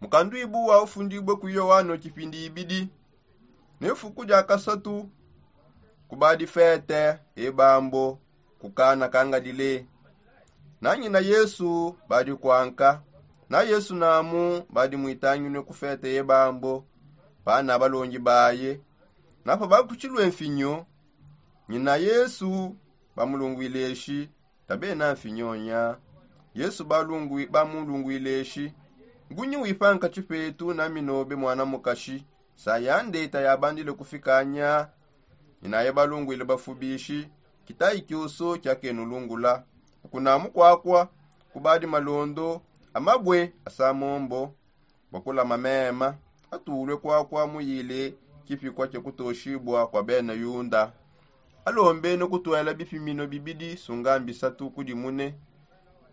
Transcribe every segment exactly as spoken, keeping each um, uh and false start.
Mukanduibu wa ufundibue ku yohano kipindi ibidi. Ne fuku dia kasatu kubadi fete ebambo ku kana ka ngalile. Na nyina yesu badi kuanka. Na yesu namu badi muitanginue ku fete ye bambo pana balongi baye. Na pa bakutshilue mfinyo nyina yesu bamulunguile eshi. Tabena mfinyo nya. Yesu balungui bamulunguile eshi. Ngunyi wipa nkatshi petu na minobe mwana mukashi? Sa yande tayabandile kufika nya. Nyinaye balungwile bafubishi kitayi kioso kiakenulungula. Kukunamu kwakwa kubadi malondo amabwe asamombo. Bakulama mema atulwe kwakwa muyile kipikwa kiakutoshibua kwa bena yunda. Alombene kutwela bipimino bibidi sunga mbisatu kudi mune.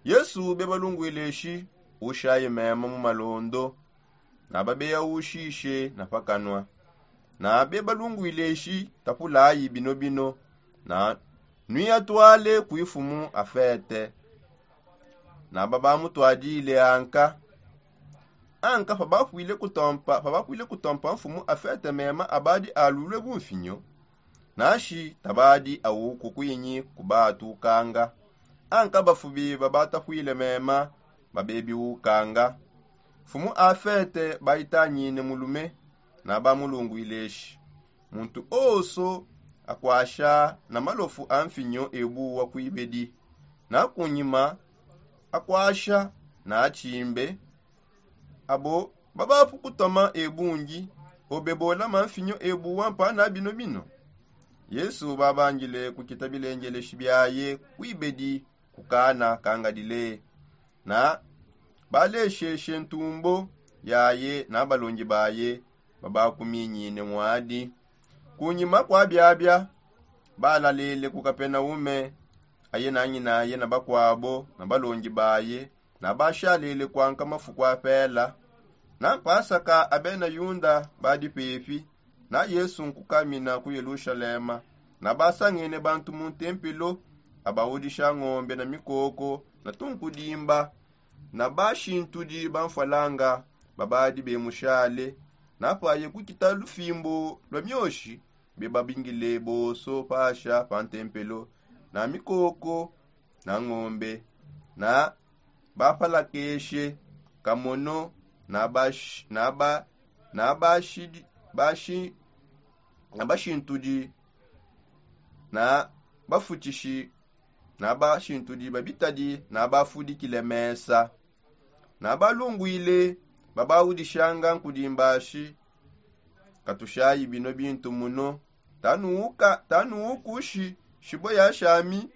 Yesu bebalungwile shi ushaye mema mu malondo. Na babeya ushishe na pakanua. Na bebalungwile shi tapulayi bino bino. Na nuiatwale ku ifumu afete. Na babamutwadile anka. Anka pabapwile kutompa pabapwile kutompa mfumu afete mema abadi alulwe bumfinyo. Nashi tabadi awuku kwinyi kubatukanga. Anka bafubi babatapwile mema babebiukanga. Mfumu afete baitanyine mulume. Na bamulungwile shi muntu oso akwasha na malofu a mfinyo ebuwa kuibedi. Na kunyima akwasha na atshimbe abo babapu kutoma ebungi. Obe bolama mfinyo ebuwa mpana bino bino. Yesu babangile kukita bilengeleshi biaye kuibedi ku kana ka ngalile. Na balesheshe ntumbo yaye na balongi baye babakuminyine muadi. Kunyima kua biabia balalele ku kapenaume aye na nyinaye na bakuabo na balongi baye. Na bashalele kuanka mafuku apela. Na mpasaka abena yunda badi pepi. Na yesu nkukamina ku yelushalema. Na basangene bantu mu ntempelo abawudisha ngombe na mikoko na tunkudimba. Na bashintudi bamfwalanga babadi bemushale. Na paye kukita lufimbo lwa mioshi bebabingile boso pasha pa ntempelo na mikoko na ngombe. Na bapalakeshe kamono na bash- na ba- na bashidi- bashi- na bashintudi na bafutishi na bashintudi babitadi na bafudikile mesa. Na balungwile babawudishanga nkudimbashi. Katushayi bino bintu muno. Tanuuka tanuukushi shibwe ya shami.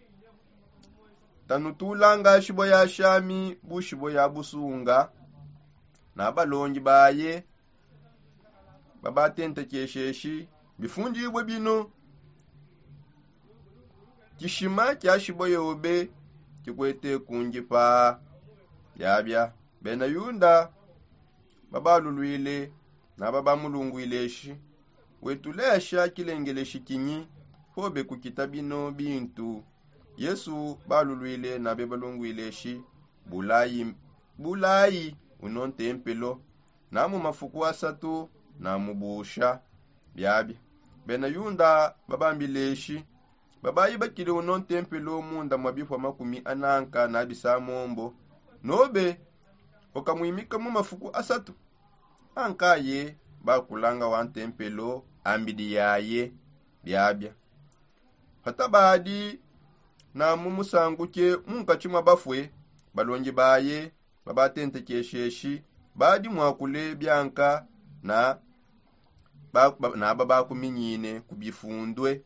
Tanutulanga shibwe ya shami bu shibwe ya busunga. Na balongi baye babatentekesheshi bifundibue bino. Tshishima tshia shibwe yobe tshikwete kundipa. Biabia bena yunda babalulwile na babamulungwile shi wetu lesha kilengeleshi kinyi? Pobe kukita bino bintu. Yesu balulwile na bebalungwile shi bulayi bulayi uno ntempelo. Na mu mafuku asatu na mubusha. Biabia bena yunda babambile shi babayi bakile uno ntempelo munda mwa bipua makumi ananka na bisamombo. Nobe ukamwimika mu mafuku asatu. Ankaye bakulanga wa ntempelo ambidi yaye. Biabia patabadi na mu musanguke munkatshi mwa bafue balongi baye babatentekesheshi badi mwakule bianka na ba- ba- na babakuminyine ku bifundue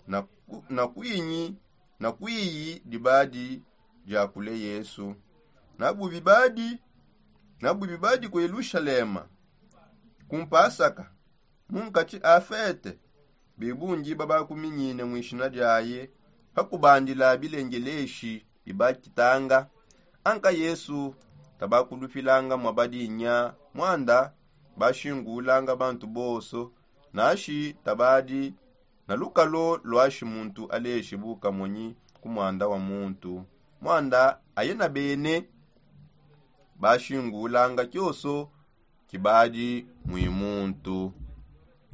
na ku- na kwinyi na kwiyi dibadi diakule yesu. Na bubi badi na bubi badi ku yelushalema ku mpasaka munkatshi a fete. Bebungi babakuminyine mu ishina diaye pakubandila bilengeleshi bibakitanga. Anka yesu tabakulupilanga mwa badinya mwanda bashingulanga bantu bonso. Nashi tabadi na lukalo lwashi muntu aleshi bukamonyi ku mwanda wa muntu mwanda aye na bene bashingulanga kioso. Kibadi mwi muntu.